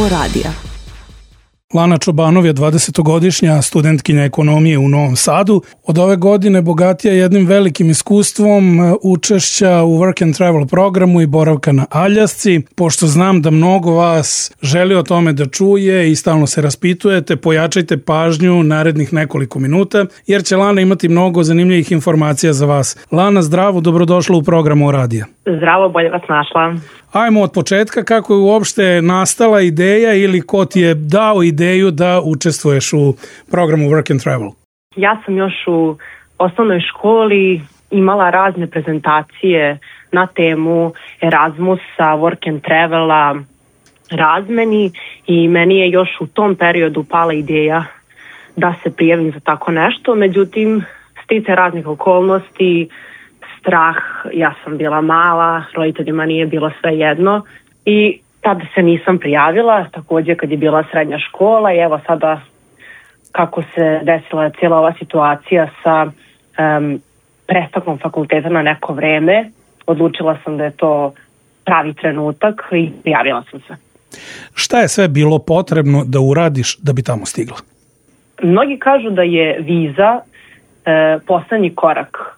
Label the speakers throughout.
Speaker 1: programu radija.
Speaker 2: Lana Čobanov je 20-godišnja studentkinja ekonomije u Novom Sadu. Od ove godine bogatija jednim velikim iskustvom učešća u Work and Travel programu i boravka na Aljasci. Pošto znam da mnogo vas želi o tome da čuje i stalno se raspitujete, pojačajte pažnju narednih nekoliko minuta, jer će Lana imati mnogo zanimljivih informacija za vas. Lana, zdravo, dobrodošla u programu radija.
Speaker 3: Zdravo, bolje vas našla.
Speaker 2: Ajmo od početka, kako je uopšte nastala ideja ili ko ti je dao ideju da učestvuješ u programu Work and Travel?
Speaker 3: Ja sam još u osnovnoj školi imala razne prezentacije na temu Erasmusa, Work and Travela, razmeni i meni je još u tom periodu pala ideja da se prijavim za tako nešto. Međutim, sticajem raznih okolnosti, strah, ja sam bila mala, roditeljima nije bilo sve jedno i tada se nisam prijavila, također kad je bila srednja škola i evo sada kako se desila cijela ova situacija sa prestankom fakulteta na neko vreme, odlučila sam da je to pravi trenutak i prijavila sam se.
Speaker 2: Šta je sve bilo potrebno da uradiš da bi tamo stigla?
Speaker 3: Mnogi kažu da je viza poslednji korak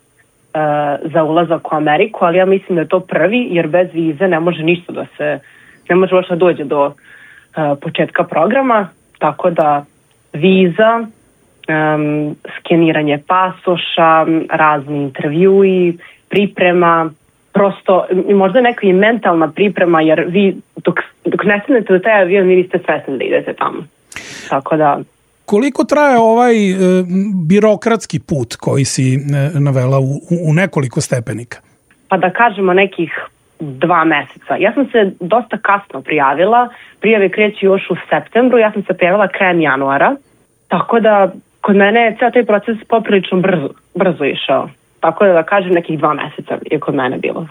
Speaker 3: za ulazak u Ameriku, ali ja mislim da je to prvi, jer bez vize ne može ništa ne može uopšte dođe do početka programa, tako da viza, skeniranje pasoša, razni intervjui, priprema, prosto možda neka i mentalna priprema, jer vi dok ne stanete do taj avion, vi niste svesni da idete tamo. Tako da...
Speaker 2: Koliko traje ovaj birokratski put koji si navela u nekoliko stepenika?
Speaker 3: Pa da kažemo nekih 2 meseca. Ja sam se dosta kasno prijavila. Prijave kreću još u septembru. Ja sam se prijavila krajem januara. Tako da kod mene je ceo taj proces poprilično brzo išao. Tako da kažem nekih 2 meseca je kod mene bilo.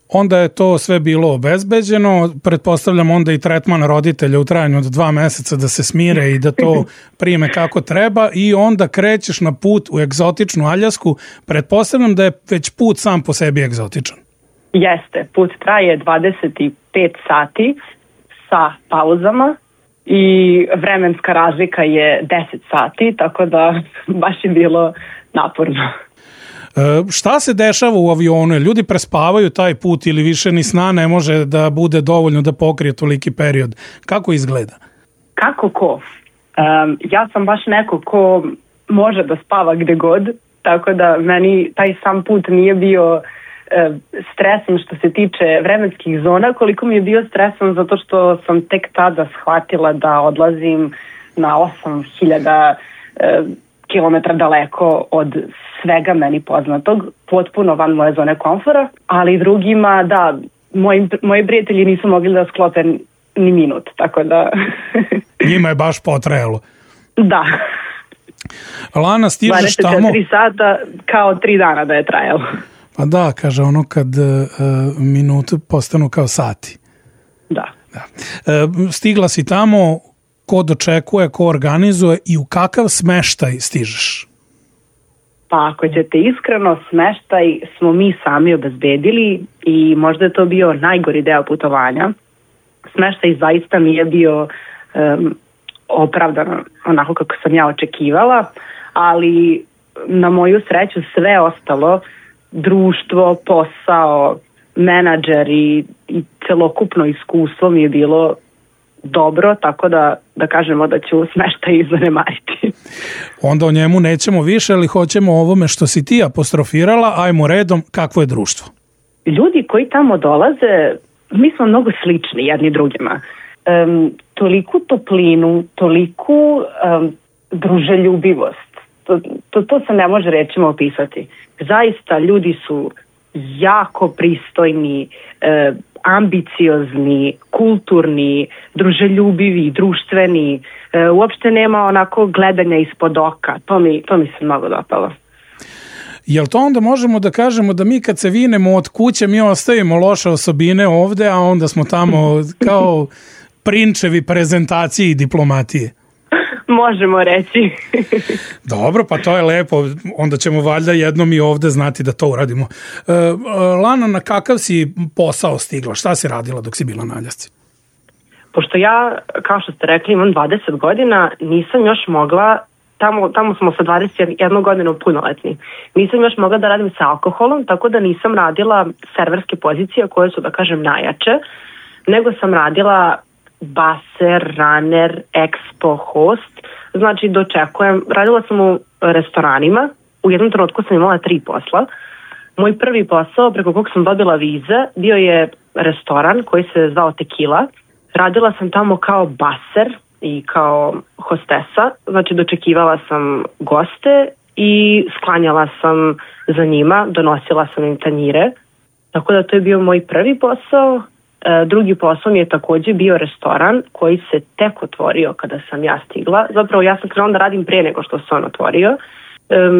Speaker 2: Onda je to sve bilo obezbeđeno, pretpostavljam onda i tretman roditelja u trajanju od 2 meseca da se smire i da to prime kako treba i onda krećeš na put u egzotičnu Aljasku. Pretpostavljam da je već put sam po sebi egzotičan.
Speaker 3: Jeste, put traje 25 sati sa pauzama i vremenska razlika je 10 sati, tako da baš je bilo naporno.
Speaker 2: Šta se dešava u avionu? Ljudi prespavaju taj put ili više ni sna ne može da bude dovoljno da pokrije toliki period? Kako izgleda?
Speaker 3: Kako ko? Ja sam baš neko ko može da spava gde god, tako da meni taj sam put nije bio stresan što se tiče vremenskih zona, koliko mi je bio stresan zato što sam tek tada shvatila da odlazim na 8000 kilometra daleko od svega meni poznatog, potpuno van moje zone komfora, ali drugima, da, moji prijatelji nisu mogli da sklope ni minut, tako da...
Speaker 2: Njima je baš potrajalo.
Speaker 3: Da.
Speaker 2: Lana, stižeš tamo...
Speaker 3: 24 sata kao 3 dana da je trajalo.
Speaker 2: Pa da, kaže ono kad minute postanu kao sati.
Speaker 3: Da.
Speaker 2: Stigla si tamo, ko dočekuje, ko organizuje i u kakav smeštaj stižeš?
Speaker 3: Pa ako ćete iskreno, smeštaj smo mi sami obezbedili i možda je to bio najgori deo putovanja. Smeštaj zaista nije bio opravdan onako kako sam ja očekivala, ali na moju sreću sve ostalo, društvo, posao, menadžer i celokupno iskustvo mi je bilo dobro, tako da kažemo da ću smeštaj zanemariti.
Speaker 2: Onda o njemu nećemo više, ali hoćemo o ovome što si ti apostrofirala. Ajmo redom, kakvo je društvo?
Speaker 3: Ljudi koji tamo dolaze, mi smo mnogo slični jedni drugima. Toliku toplinu, toliku druželjubivost. To se ne može rečima opisati. Zaista ljudi su jako pristojni, ambiciozni, kulturni, druželjubivi, društveni. Uopšte nema onako gledanja ispod oka. To mi se mnogo dopalo.
Speaker 2: Jel to onda možemo da kažemo da mi kad se vinemo od kuće mi ostavimo loše osobine ovde, a onda smo tamo kao prinčevi prezentacije i diplomatije?
Speaker 3: Možemo reći.
Speaker 2: Dobro, pa to je lepo. Onda ćemo valjda jednom i ovde znati da to uradimo. Lana, na kakav si posao stigla? Šta si radila dok si bila na Aljasci?
Speaker 3: Pošto ja, kao što ste rekli, imam 20 godina, nisam još mogla, tamo smo sa 21 godinu punoletni, nisam još mogla da radim sa alkoholom, tako da nisam radila serverske pozicije koje su, da kažem, najjače, nego sam radila baser, runner, expo, host, znači dočekujem, radila sam u restoranima, u jednom trenutku sam imala 3 posla. Moj prvi posao preko kog sam dobila vize bio je restoran koji se zvao Tequila. Radila sam tamo kao baser i kao hostesa, znači dočekivala sam goste i sklanjala sam za njima, donosila sam im tanjire. Tako da to je bio moj prvi posao. Drugi posao mi je takođe bio restoran koji se tek otvorio kada sam ja stigla. Zapravo ja sam krenula da radim pre nego što se on otvorio.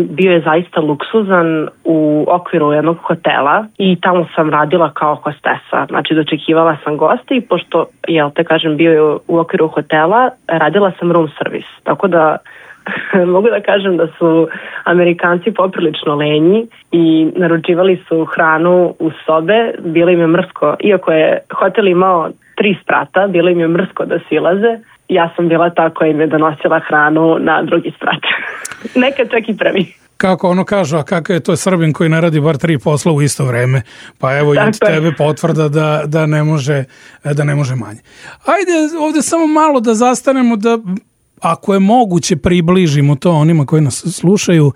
Speaker 3: Bio je zaista luksuzan u okviru jednog hotela i tamo sam radila kao hostesa. Znači dočekivala sam goste i pošto, bio je u okviru hotela, radila sam room service. Tako da mogu da kažem da su Amerikanci poprilično lenji i naručivali su hranu u sobe, bilo im je mrsko, iako je hotel imao 3 sprata, bilo im je mrsko da silaze. Ja sam bila ta koja im je donosila hranu na drugi sprat. Nekad čak i prvi.
Speaker 2: Kako ono kažu, a kakav je to Srbin koji ne radi bar 3 posla u isto vreme? Pa evo i od tebe potvrda da ne može manje. Ajde ovde samo malo da zastanemo, da ako je moguće približimo to onima koji nas slušaju,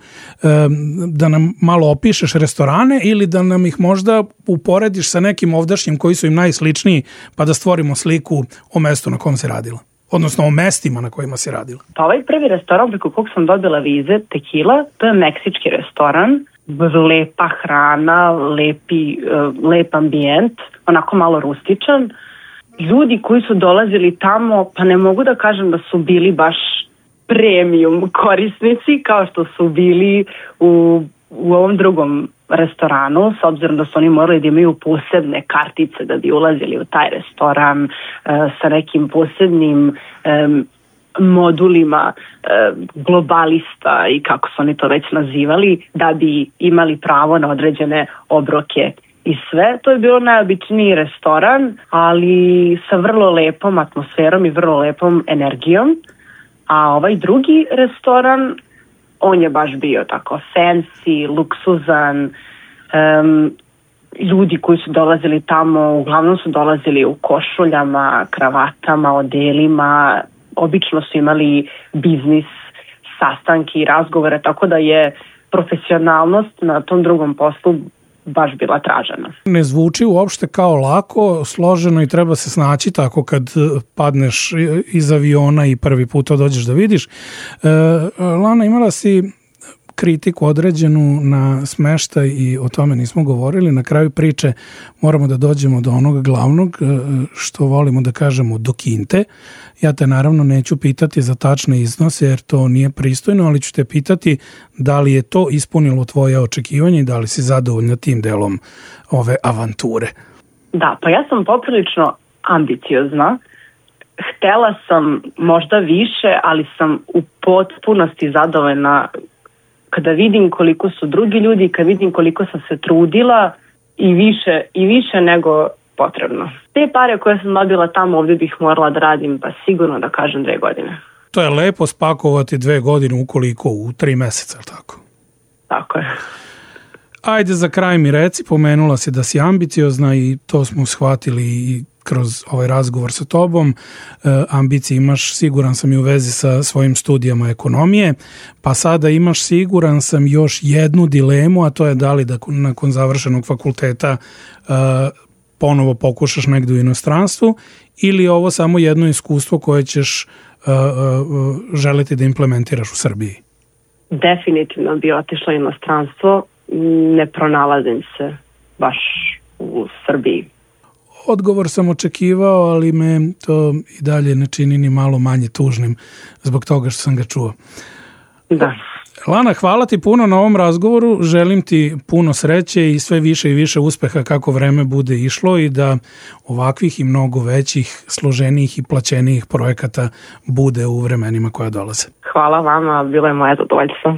Speaker 2: da nam malo opišeš restorane ili da nam ih možda uporediš sa nekim ovdašnjim koji su im najsličniji, pa da stvorimo sliku o mestu na kom se radila. Odnosno o mestima na kojima si radila.
Speaker 3: Pa ovaj prvi restoran preko kog sam dobila vize, Tequila, to je meksički restoran, lepa hrana, lep ambijent, onako malo rustičan. Ljudi koji su dolazili tamo, pa ne mogu da kažem da su bili baš premium korisnici kao što su bili u ovom drugom restoranu, s obzirom da su oni morali da imaju posebne kartice da bi ulazili u taj restoran sa nekim posebnim modulima globalista i kako su oni to već nazivali, da bi imali pravo na određene obroke i sve. To je bilo najobičniji restoran, ali sa vrlo lepom atmosferom i vrlo lepom energijom. A ovaj drugi restoran, on je baš bio tako fancy, luksuzan. Ljudi koji su dolazili tamo, uglavnom su dolazili u košuljama, kravatama, odelima. Obično su imali biznis, sastanke i razgovore, tako da je profesionalnost na tom drugom poslu baš bila tražena.
Speaker 2: Ne zvuči uopšte kao lako, složeno i treba se snaći tako kad padneš iz aviona i prvi put to dođeš da vidiš. Lana, imala si kritiku određenu na smeštaj i o tome nismo govorili. Na kraju priče moramo da dođemo do onog glavnog, što volimo da kažemo, do kinte. Ja te naravno neću pitati za tačne iznose jer to nije pristojno, ali ću te pitati da li je to ispunilo tvoje očekivanje i da li si zadovoljna tim delom ove avanture.
Speaker 3: Da, pa ja sam poprilično ambiciozna. Htela sam možda više, ali sam u potpunosti zadovoljna kada vidim koliko su drugi ljudi, kada vidim koliko sam se trudila i više nego potrebno. Te pare koje sam dobila tamo, ovdje bih morala da radim, pa sigurno da kažem 2 godine.
Speaker 2: To je lepo spakovati 2 godine ukoliko u 3 meseca, tako?
Speaker 3: Tako je.
Speaker 2: Ajde za kraj mi reci, pomenula si da si ambiciozna i to smo shvatili i kroz ovaj razgovor sa tobom. Ambicije imaš, siguran sam, i u vezi sa svojim studijama ekonomije, pa sada imaš, siguran sam, još jednu dilemu, a to je da li da nakon završenog fakulteta ponovo pokušaš negdje u inostranstvu ili je ovo samo jedno iskustvo koje ćeš želiti da implementiraš u Srbiji?
Speaker 3: Definitivno bi otišla u inostranstvo, ne pronalazim se baš u Srbiji.
Speaker 2: Odgovor sam očekivao, ali me to i dalje ne čini ni malo manje tužnim zbog toga što sam ga čuo.
Speaker 3: Da.
Speaker 2: Lana, hvala ti puno na ovom razgovoru, želim ti puno sreće i sve više i više uspeha kako vreme bude išlo i da ovakvih i mnogo većih, složenijih i plaćenijih projekata bude u vremenima koja dolaze.
Speaker 3: Hvala vama, bilo je moje zadovoljstvo.